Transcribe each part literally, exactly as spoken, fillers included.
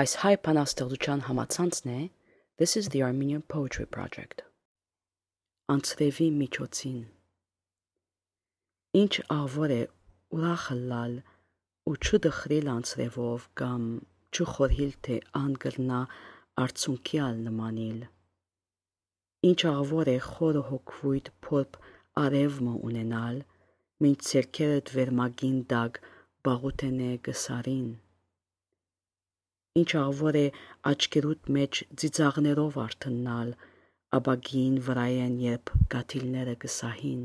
Այս հայ բանաստեղծության համացանցն է This is the Armenian Poetry Project. Անցրևի միջոցին Ինչ ավոր է ուրախը լալ ու չդխրիլ անցրևով կամ չխորհիլ թե անգրնա արցունքյալ նմանիլ Ինչ ավոր է խորը հոգվույթ փորբ արևմը ունենալ մինչ ցերքերդ վերմագին դակ բաղութենե գսարին Ինչ ավոր է աչքերուդ մեջ ծիծաղներով արթնալ աբագին վրայեն երբ գաթիլները գսահին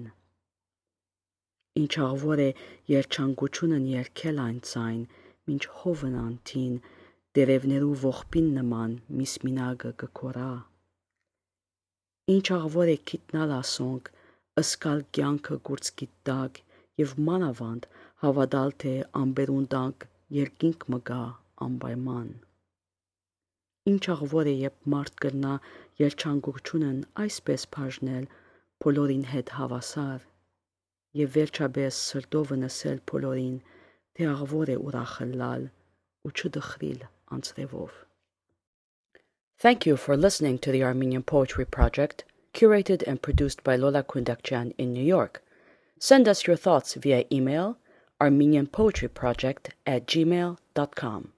Ինչ ավոր է երջանկությունն երգել այն ցայն մինչ հովն անթին դերևներու ողբին նման միսմինագը գքորա Ինչ ավոր է գիտնալ ասոնք ըսկալ կյանքը գուրծքի տակ եւ մանավանդ հավատալ թե ամբերուն տակ երկինք մգա անպայման Ինչ ավոր է երբ մարդ կրնա երջանկությունն այսպես բաժնել բոլորին հետ հավասար եւ վերջաբես սրտով նսել բոլորին թե ավոր է ուրախը լալ ու չդխրիլ անցրևով Thank you for listening to the Armenian Poetry Project, curated and produced by Lola Kundakjian in New York. Send us your thoughts via email armenianpoetryproject at gmail dot com.